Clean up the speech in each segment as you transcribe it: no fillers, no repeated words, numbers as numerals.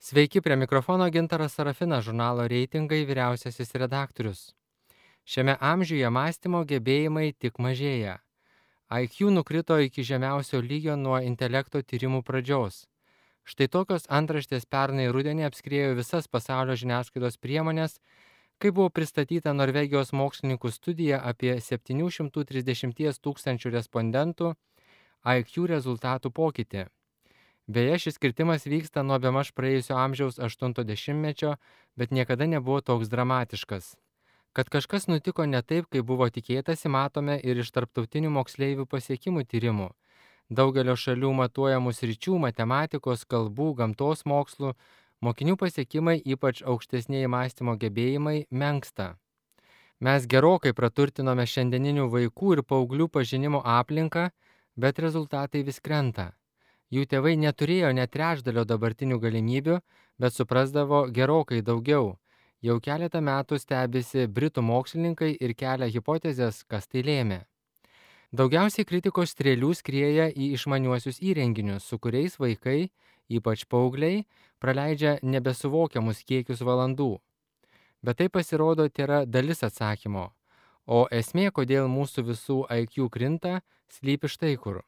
Sveiki, prie mikrofono Gintaras Sarafinas, žurnalo Reitingai vyriausiasis redaktorius. Šiame amžiuje mąstymo gebėjimai tik mažėja. IQ nukrito iki žemiausio lygio nuo intelekto tyrimų pradžios. Štai tokios antraštės pernai rudenį apskriejo visas pasaulio žiniasklaidos priemonės, kai buvo pristatyta Norvegijos mokslininkų studija apie 730 tūkstančių respondentų IQ rezultatų pokytį. Beje, šis kritimas vyksta nuo bemaž praėjusio amžiaus 80-mečio, bet niekada nebuvo toks dramatiškas. Kad kažkas nutiko ne taip, kaip buvo tikėtasi, matome ir iš tarptautinių moksleivių pasiekimų tyrimų. Daugelio šalių matuojamų sričių - matematikos, kalbų, gamtos mokslų - mokinių pasiekimai, ypač aukštesnieji mąstymo gebėjimai, menksta. Mes gerokai praturtinome šiandieninių vaikų ir paauglių pažinimo aplinką, bet rezultatai vis krenta. Jų tėvai neturėjo net trečdalio dabartinių galimybių, bet suprasdavo gerokai daugiau. Jau keletą metų stebisi britų mokslininkai ir kelia hipotezes, kas tai lėmė. Daugiausiai kritikos strėlių skrieja į išmaniuosius įrenginius, su kuriais vaikai, ypač paaugliai, praleidžia nebesuvokiamus kiekius valandų. Bet tai pasirodo tėra dalis atsakymo. O esmė, kodėl mūsų visų IQ krinta, slypi štai kur.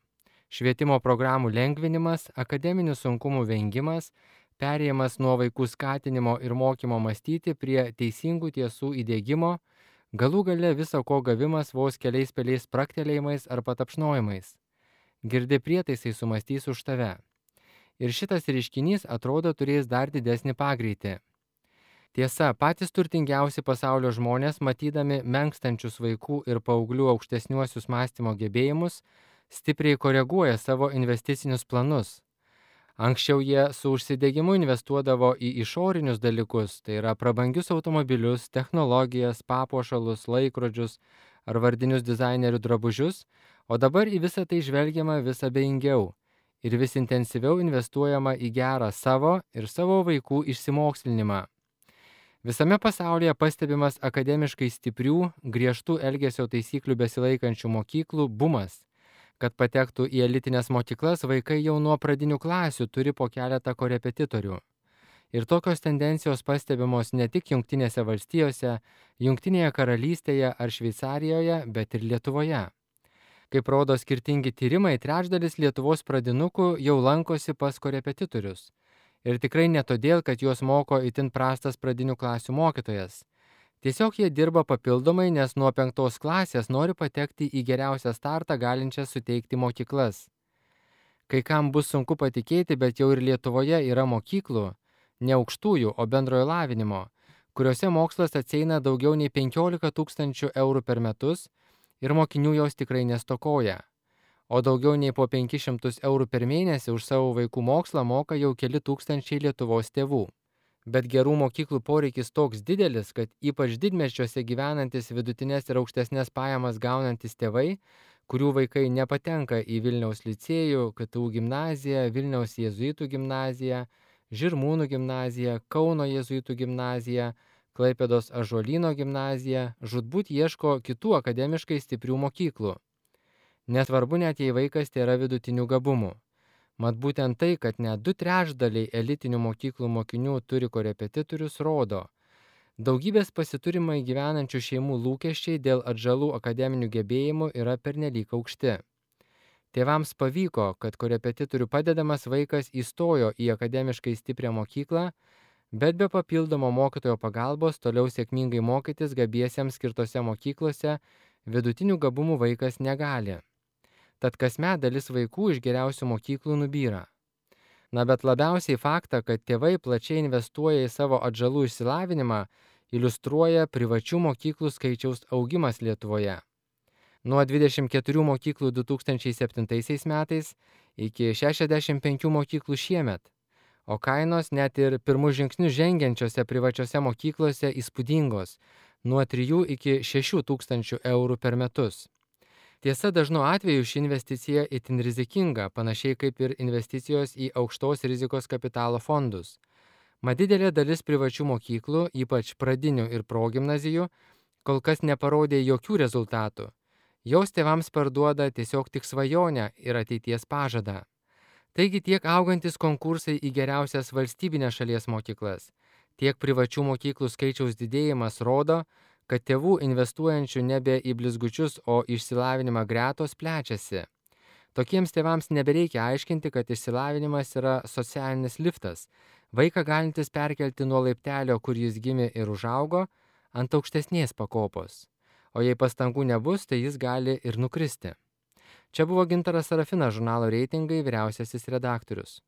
Švietimo programų lengvinimas, akademinių sunkumų vengimas, perėjimas nuo vaikų skatinimo ir mokymo mąstyti prie teisingų tiesų įdėgymo, galų gale viso ko gavimas vos keliais peliais praktelėjimais ar patapšnojimais. Girdi prietaisai sumastys už tave. Ir šitas reiškinys atrodo turės dar didesnį pagreitį. Tiesa, patys turtingiausi pasaulio žmonės, matydami menkstančius vaikų ir paauglių aukštesniuosius mąstymo gebėjimus, stipriai koreguoja savo investicinius planus. Anksčiau jie su užsidegimu investuodavo į išorinius dalykus, tai yra prabangius automobilius, technologijas, papuošalus, laikrodžius ar vardinius dizainerių drabužius, o dabar į visą tai žvelgiama vis abejingiau ir vis intensyviau investuojama į gerą savo ir savo vaikų išsimokslinimą. Visame pasaulyje pastebimas akademiškai stiprių, griežtų elgesio taisyklių besilaikančių mokyklų bumas. Kad patektų į elitinės mokyklas, vaikai jau nuo pradinių klasių turi po keletą korepetitorių. Ir tokios tendencijos pastebimos ne tik Jungtinėse valstijose, Jungtinėje karalystėje ar Šveicarijoje, bet ir Lietuvoje. Kaip rodo skirtingi tyrimai, trečdalis Lietuvos pradinukų jau lankosi pas korepetitorius. Ir tikrai ne todėl, kad juos moko itin prastas pradinių klasių mokytojas. Tiesiog jie dirba papildomai, nes nuo 5 klasės nori patekti į geriausią startą galinčias suteikti mokyklas. Kai kam bus sunku patikėti, bet jau ir Lietuvoje yra mokyklų, ne aukštųjų, o bendrojo lavinimo, kuriuose mokslas atsieina daugiau nei 15 tūkstančių eurų per metus ir mokinių jos tikrai nestokoja. O daugiau nei po 500 eurų per mėnesį už savo vaikų mokslą moka jau keli tūkstančiai Lietuvos tėvų. Bet gerų mokyklų poreikis toks didelis, kad ypač didmiesčiuose gyvenantis vidutinės ir aukštesnės pajamas gaunantis tėvai, kurių vaikai nepatenka į Vilniaus licėjų, KTU gimnaziją, Vilniaus jėzuitų gimnaziją, Žirmūnų gimnaziją, Kauno jėzuitų gimnaziją, Klaipėdos Ąžuolyno gimnaziją, žūtbūt ieško kitų akademiškai stiprių mokyklų. Nesvarbu net jei vaikas tėra vidutinių gabumų. Mat būtent tai, kad net 2/3 elitinių mokyklų mokinių turi korepetitorius, rodo. Daugybės pasiturimai gyvenančių šeimų lūkesčiai dėl atžalų akademinių gebėjimų yra pernelyg aukšti. Tėvams pavyko, kad korepetitorių padedamas vaikas įstojo į akademiškai stiprią mokyklą, bet be papildomo mokytojo pagalbos toliau sėkmingai mokytis gabiesiems skirtose mokyklose vidutinių gabumų vaikas negali. Tad kasmet dalis vaikų iš geriausių mokyklų nubyra. Na bet labiausiai faktą, kad tėvai plačiai investuoja į savo atžalų išsilavinimą, iliustruoja privačių mokyklų skaičiaus augimas Lietuvoje. Nuo 24 mokyklų 2007 metais iki 65 mokyklų šiemet, o kainos net ir pirmus žingsnius žengiančiose privačiose mokyklose įspūdingos - nuo 3 iki 6 tūkstančių eurų per metus. Tiesa, dažnu atveju ši investicija itin rizikinga, panašiai kaip ir investicijos į aukštos rizikos kapitalo fondus. Mat didelė dalis privačių mokyklų, ypač pradinių ir progimnazijų, kol kas neparodė jokių rezultatų. Jos tėvams parduoda tiesiog tik svajonę ir ateities pažadą. Taigi tiek augantis konkursai į geriausias valstybinės šalies mokyklas, tiek privačių mokyklų skaičiaus didėjimas rodo, kad tėvų investuojančių nebe į blizgučius, o į išsilavinimą gretos plečiasi. Tokiems tėvams nebereikia aiškinti, kad išsilavinimas yra socialinis liftas, vaiką galintis perkelti nuo laiptelio, kur jis gimė ir užaugo, ant aukštesnės pakopos. O jei pastangų nebus, tai jis gali ir nukristi. Čia buvo Gintaras Sarafinas, žurnalo Reitingai vyriausiasis redaktorius.